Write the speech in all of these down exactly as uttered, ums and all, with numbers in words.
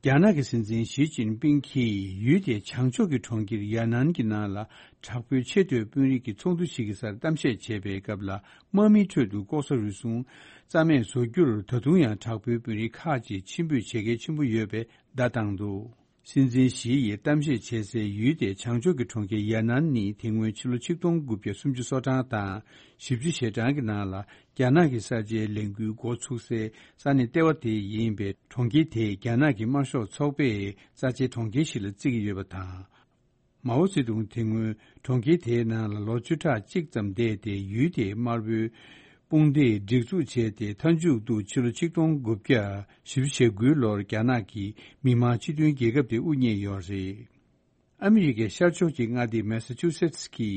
རྒྱ་ནག་གི་སྲིད་འཛིན་ཞི་ཅིན་ཕིང་གིས་ཡུལ་དེའི་བྱང་ཕྱོགས་ཀྱི་གྲོང་ཁྱེར་ཡ་ནན་གྱི་ནང་ལ་དྲག་པོའི་ཆེས་མཐོའི་དཔོན་རིགས་ཀྱི་ཚོགས་འདུ་ཞིག་གི་སར་གཏམ་བཤད་བྱེད་པའི་སྐབས་ལ། དམག་མིའི་ཁྲོད་དུ་ལྐོག་ཟ་རུལ་སུངས་རྩ་མེད་བཟོ་རྒྱུར་ད་དུང་ཡང་དྲག་པོའི་དཔོན་རིགས་ཁག་ཅིག་ཕྱིར་འབུད་བྱེད་གལ་ཆེན་པོ་ཡོད་པའི་བརྡ་བཏང་འདུག། སྲིད་འཛིན་ཞི་ཡིས་གཏམ་བཤད་བྱེད་སའི་ཡུལ་དེའི་བྱང་ཕྱོགས་ཀྱི་གྲོང་ཁྱེར་ཡ་ནན་ནི་དེ་སྔོན་ཕྱི་ལོ་ཆིག་སྟོང་དགུ་བརྒྱ་སུམ་ཅུ་སོ་གྲངས་དང་བཞི་བཅུ་ཞེ་གྲངས་ཀྱི་ནང་ལ་རྒྱ་ནག་གི་གསར་བརྗེའི་ལས་འགུལ་འགོ་ཚུགས་སའི་ས་གནས་ལྟེ་བ་དེ་ཡིན་པས། གྲོང་ཁྱེར་དེ་རྒྱ་ནག་གི་དམར་ཤོག་ཚོགས་པས་རྩ་ཆེའི་གྲོང་ཁྱེར་ཞིག་ལ་བརྩི་གི་ཡོད་པ་དང་། མའོ་ཙེ་ཏུང་དེ་སྔོན་གྲོང་ཁྱེར་དེའི་ནང་ལ་ལོ་བཅུ་ཕྲག་གཅིག་ཙམ་བསྡད་དེ། ཡུལ་དེའི་དམར་པོའི་དཔུང་སྡེས་སྒྲིག་འཛུགས་བྱས་ཏེ། མཐའ་མཇུག་ཏུ་ཕྱི་ལོ་ཆིག་སྟོང་དགུ་བརྒྱ་བཞི་བཅུ་ཞེ་དགུའི་ལོར་རྒྱ་ནག་གི་མི་དམངས་སྤྱི་མཐུན་རྒྱལ་ཁབ་དེ་དབུ་བརྙེས་ཡོད་རེད། ཨ་མི་རི་ཀའི་ཤར་ཕྱོགས་ཀྱི་མངའ་སྡེ་མེ་ས་ཆུ་སེ་ཊི་གི་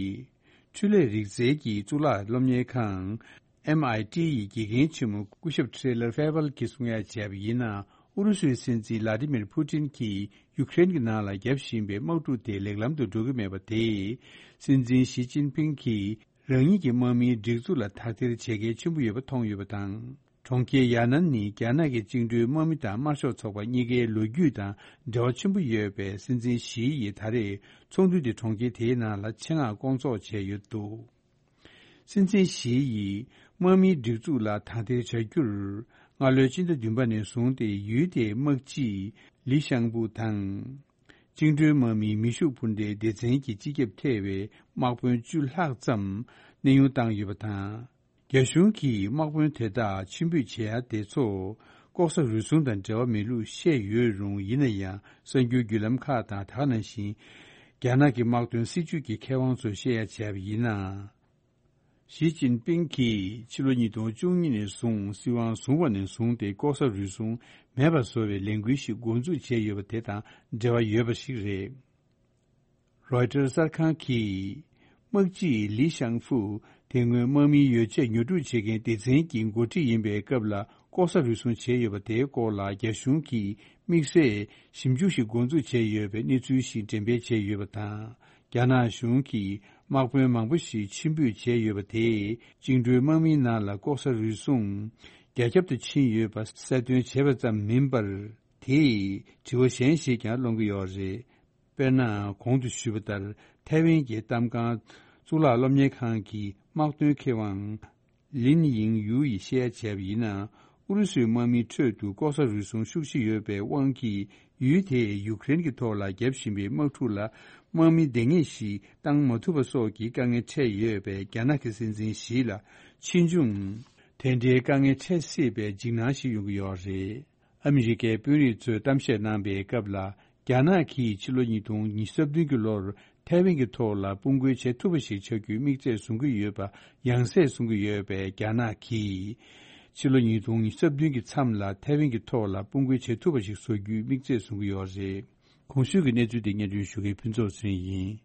འཕྲུལ་ལས་རིག་རྩལ་གྱི་གཙུག་ལག་སློབ་གཉེར་ཁང་། ཨེམ་ཨའི་ཊི་ཡི་དགེ་རྒན་ཆེན་མོ་སྐུ་ཞབས་ཁྲེ་ལར་ཧྥེ་ཝལ་གྱིས་གསུང་ཡ་བྱས་པ་ཡིན་ན། ཨུ་རུ་སུའི་སྲིད་འཛིན་ལ་ཏི་མིར་ཕུ་ཏིན་གྱིས་ཡུ་ཀེ་རེན་གྱི་ནང་ལ་བརྒྱབ་བཞིན་པའི་དམག་འཁྲུག་དེ་ལེགས་ལམ་དུ་འགྲོ་གི་མེད་པ་དེས། སྲིད་འཛིན་ཞི་ཅིན་ཕིང་གིས་རང་ཉིད་ཀྱི་དམག་མིའི་སྒྲིག་འཛུགས་ལ་དག་ཐེར་བྱེད་གལ་ཆེན་པོ་ཡོད་པ་མཐོང་ཡོད་པ་དང་། གྲོང་ཁྱེར་ཡ་ནན་ནི་རྒྱ་ནག་གི་བཅིངས་འགྲོལ་དམག་མི་དང་དམར་ཤོག་ཚོགས་པ་གཉིས་ཀའི་ལོ་རྒྱུས་དང་འབྲེལ་བ་ཆེན་པོ་ཡོད་པས། སྲིད་འཛིན་ཞི་ཡིས་ད་རེས་ཚོགས་འདུ་དེ་གྲོང་ཁྱེར་དེའི་ནང་ལ་ཆེད་མངགས་བསྐོང་ཚོགས་བྱས་ཡོད་འདུག། སྲིད་འཛིན་ཞི་ཡིས་དམག་མིའི་སྒྲིག་འཛུགས་ལ་དག་ཐེར་བྱ་རྒྱུར། སྔ་ལོའི་སྤྱི་ཟླ་བདུན་པ་ནས་བཟུང་སྟེ་ཡུལ་དེའི་དམག་སྤྱི་ལི་ཤང་ཕུ་དང་། བཅིངས་འགྲོལ་དམག་མིའི་མེ་ཤུགས་འཕུར་མདེལ་སྡེ་ཚན་གྱི་སྤྱི་ཁྱབ་ཐེ་བའི་དམག་དཔོན་བཅུ་ལྷག་ཙམ་གནས་དབྱུང་བཏང་ཡོད་པ་དང་། རྒྱ་གཞུང་གིས་དམག་དཔོན་དེ་དག་ཕྱིར་འབུད་བྱེད་ཡ་དེ་ཚོ་ལྐོག་ཟ་རུལ་སུངས་དང་འབྲེལ་བ་མེད་ལུགས་བཤད་ཡོད་རུང་། ཡིན་ན་ཡང་གསར་འགྱུར་བརྒྱུད་ལམ་ཁག་དང་། ད་ག་ནང་བཞིན་རྒྱ་ནག་གི་དམག་དོན་སྲིད་ཇུས་ཀྱི་མཁས་དབང་ཚོས་བཤད་ཡ་བྱས་པ་ཡིན་ན། ཞི་ཅིན་ཕིང་གིས་ཕྱི་ལོ་ཉིས་སྟོང་བཅུ་གཉིས་ནས་བཟུང་སྲིད་དབང་བཟུང་བ་ནས་བཟུང་སྟེ། ལྐོག་ཟ་རུལ་སུངས་མེད་པ་བཟོ་བའི་ལས་འགུལ་ཞིག་འགོ་འཛུགས་བྱས་ཡོད་པ་དེ་དང་འབྲེལ་བ་ཡོད་པ་ཞིག་རེད། རོའི་ཊར་གསར་ཁང་གིས་དམག་སྤྱི་ལི་ཤང་ཕུ་དེ་སྔོན་དམག་མིའི་ཡོ་བྱད་ཉོ་སྒྲུབ་བྱེད་མཁན་སྡེ་ཚན་གྱི་འགོ་ཁྲིད་ཡིན་པའི་སྐབས་ལ་ལྐོག་ཟ་རུལ་སུངས་བྱས་ཡོད་པ་དེའི་སྐོར་ལ་རྒྱ་གཞུང་གིས་དམིགས་བསལ་ཞིབ་འཇུག་ཞིག་འགོ་འཛུགས་བྱས་ཡོད་པའི་གནས་ཚུལ་ཞིག་འགྲེམས་སྤེལ་བྱས་ཡོད་པ་དང་། རྒྱ་ནག་གཞུང་གིས་དམག་དཔོན་མང་པོ་ཞིག་ཕྱིར་འབུད་བྱས་ཡོད་པ་དེས། བཅིངས་འགྲོལ་དམག་མིའི་ནང་ལ་ལྐོག་ཟ་རུལ་སུངས་རྒྱ་ཁྱབ་ཏུ་ཕྱིན་ཡོད་པ་གསལ་སྟོན་བྱས་པ་ཙམ་མིན་པར། དེས་དྲི་བ་གཞན་ཞིག་ཀྱང་སློང་གི་ཡོད་རེད། དཔེར་ན། གོང་དུ་ཞུས་པ་ལྟར། ཐའེ་ཝན་གྱི་གཏམ་ཁང་གཙུག་ལག་སློབ་གཉེར་ཁང་གི་དམག་དོན་མཁས་དབང་ལིན་ཡིང་ཡུའུ་ཡིས་བཤད་ཡ་བྱས་པ་ཡིན་ན། ཨུ་རུ་སུའི་དམག་མིའི་ཁྲོད་དུ་ལྐོག་ཟ་རུལ་སུངས་ཤུགས་ཆེ་ཡོད་པའི་དབང་གིས། ཡུལ་དེས་ཡུ་ཀེ་རེན་གྱི་ཐོག་ལ་བརྒྱབ་བཞིན་པའི་དམག་འཁྲུག་ལ་དམག་མི་འདང་ངེས་ཤིག་བཏང་མ་ཐུབ་པ་སོགས་ཀྱི་དཀའ་ངལ་འཕྲད་ཡོད་པས། རྒྱ་ནག་གི་སྲིད་འཛིན་ཞི་ལ་ཕྱིས་འབྱུང་དེ་འདྲའི་དཀའ་ངལ་འཕྲད་སྲིད་པའི་འཇིགས་སྣང་ཞིག་ཡོང་གི་ཡོད་རེད། ཨ་མི་རི་ཀའི་དཔོན་རིགས་ཚོས་གཏམ་བཤད་གནང་པའི་སྐབས་ལ། རྒྱ་ནག་གིས་ཕྱི་ལོ་ཉིས་སྟོང་ཉི་ཤུ་རྩ་བདུན་གྱི་ལོར་ཐའེ་ཝན་གྱི་ཐོག་ལ་དཔུང་རྒོལ་བྱེད་ཐུབ་པ་ཞིག་ཆགས་རྒྱུའི་དམིགས་ཚད་བཟུང་གི་ཡོད་པ་ཡང་སེ་གསུང་གི་ཡོད་པས། རྒྱ་ནག་གིས་ཕྱི་ལོ་ཉིས་སྟོང་ཉི་ཤུ་རྩ་བདུན་གྱི་མཚམས་ལ་ཐའེ་ཝན་གྱི་ཐོག་ལ་དཔུང་རྒོལ་བྱེད་ཐུབ་པ་ཞིག་བཟོ་རྒྱུའི་དམིགས་ཚད་བཟུང་གི་ཡོད་རེད། གོང་ཞུས་ཀྱི་གནས་ཚུལ་དེ་སྙན་སྒྲོན་ཞུ་མཁན་ཕུན་ཚོགས་ཚེ་རིང་ཡིན།